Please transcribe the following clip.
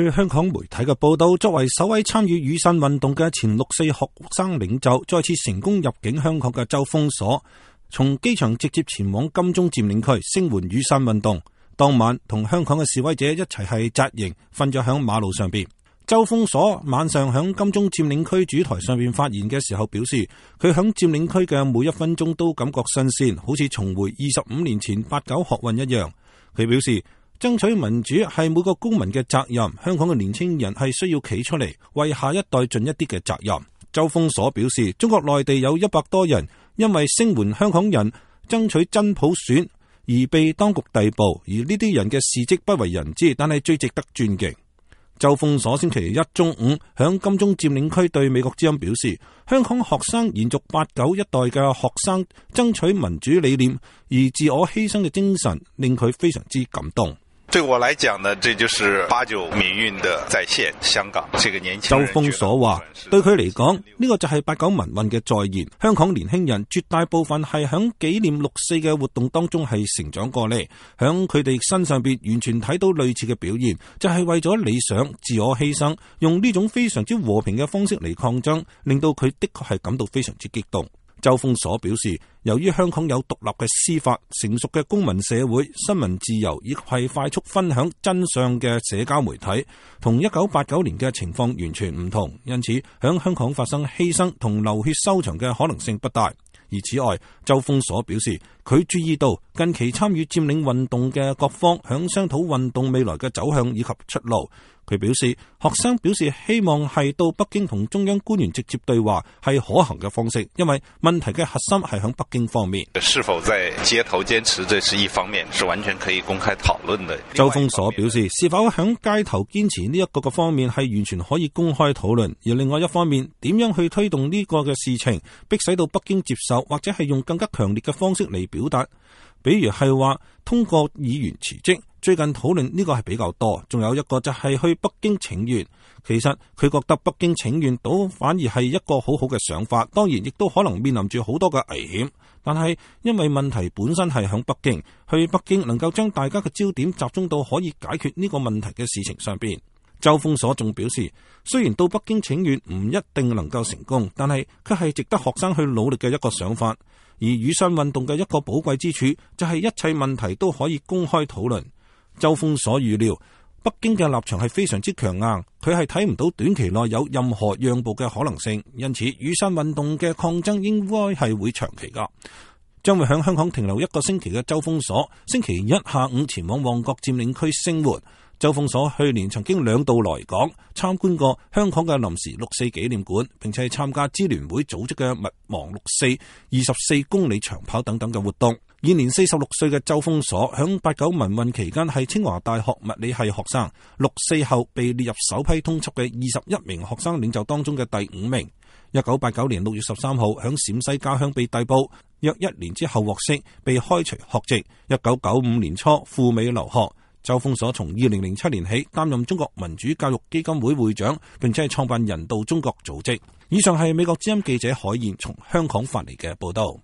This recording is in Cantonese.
據香港媒體嘅報道，作為首位參與雨傘運動嘅前六四學生領袖，再次成功入境香港嘅周鋒鎖，從機場直接前往金鐘佔領區聲援雨傘運動。當晚同香港嘅示威者一齊係紮營，瞓咗響馬路上邊。周鋒鎖晚上響金鐘佔領區主台上邊發言嘅時候表示，佢響佔領區嘅每一分鐘都感覺新鮮，好似重回25年前8·9學運一樣。佢表示，爭取民主係每個公民嘅責任，香港嘅年輕人係需要企出嚟為下一代盡一啲嘅責任。周鋒鎖表示，中國內地有100多人因為聲援香港人爭取真普選而被當局逮捕，而呢啲人嘅事蹟不為人知，但係最值得尊敬。周鋒鎖星期一中午響金鐘佔領區對美國之音表示，香港學生延續8·9一代嘅學生爭取民主理念而自我犧牲嘅精神，令佢非常之感動。對我來講呢，這就是8·9民運的再現。香港這個年輕人，周鋒鎖話，對佢嚟講，呢個就係8·9民運嘅再現。香港年輕人絕大部分係響紀念6·4嘅活動當中係成長過嚟，響佢哋身上邊完全睇到類似嘅表現，就係為咗理想自我犧牲，用呢種非常之和平嘅方式嚟抗爭，令到佢的確係感到非常之激動。周鋒鎖表示，由於香港有獨立嘅司法、成熟嘅公民社會、新聞自由以及係快速分享真相嘅社交媒體，同1989年嘅情況完全唔同，因此響香港發生犧牲同流血收場嘅可能性不大。而此外，周鋒鎖表示，佢注意到近期參與佔領運動嘅各方響商討運動未來嘅走向以及出路。佢表示，學生表示希望係到北京同中央官員直接對話係可行嘅方式，因為問題嘅核心係響北京方面。是否在街頭堅持，這是一方面，是完全可以公開討論的。周鋒鎖表示，是否響街頭堅持呢一個嘅方面係完全可以公開討論，而另外一方面，點樣去推動呢個嘅事情，迫使到北京接受，或者係用更加強烈嘅方式嚟表達，比如係話通過議員辭職。最近討論呢個係比較多，仲有一個就係去北京請願。其實佢覺得北京請願倒反而係一個好好嘅想法，當然亦都可能面臨住好多嘅危險。但係因為問題本身係響北京，去北京能夠將大家嘅焦點集中到可以解決呢個問題嘅事情上邊。周鋒鎖仲表示，雖然到北京請願唔一定能夠成功，但係佢係值得學生去努力嘅一個想法。而雨傘運動嘅一個寶貴之處就係一切問題都可以公開討論。周鋒鎖預料北京嘅立場係非常之強硬，佢係睇唔到短期內有任何讓步嘅可能性，因此雨傘運動嘅抗爭應該係會長期噶。將會響香港停留1個星期嘅周鋒鎖，星期一下午前往旺角佔領區聲援。周鋒鎖去年曾經2度來港參觀過香港嘅臨時6·4紀念館，並且參加支聯會組織嘅勿忘6·4、24公里長跑等等嘅活動。現年46歲嘅周鋒鎖響8·9民運期間係清華大學物理系學生，6·4後被列入首批通緝嘅21名學生領袖當中嘅第5名。1989年6月13號響陝西家鄉被逮捕，約1年之後獲釋，被開除學籍。1995年初赴美留學。周鋒鎖從2007年起擔任中國民主教育基金會會長，並且係創辦人道中國組織。以上係美國之音記者海燕從香港發嚟嘅報道。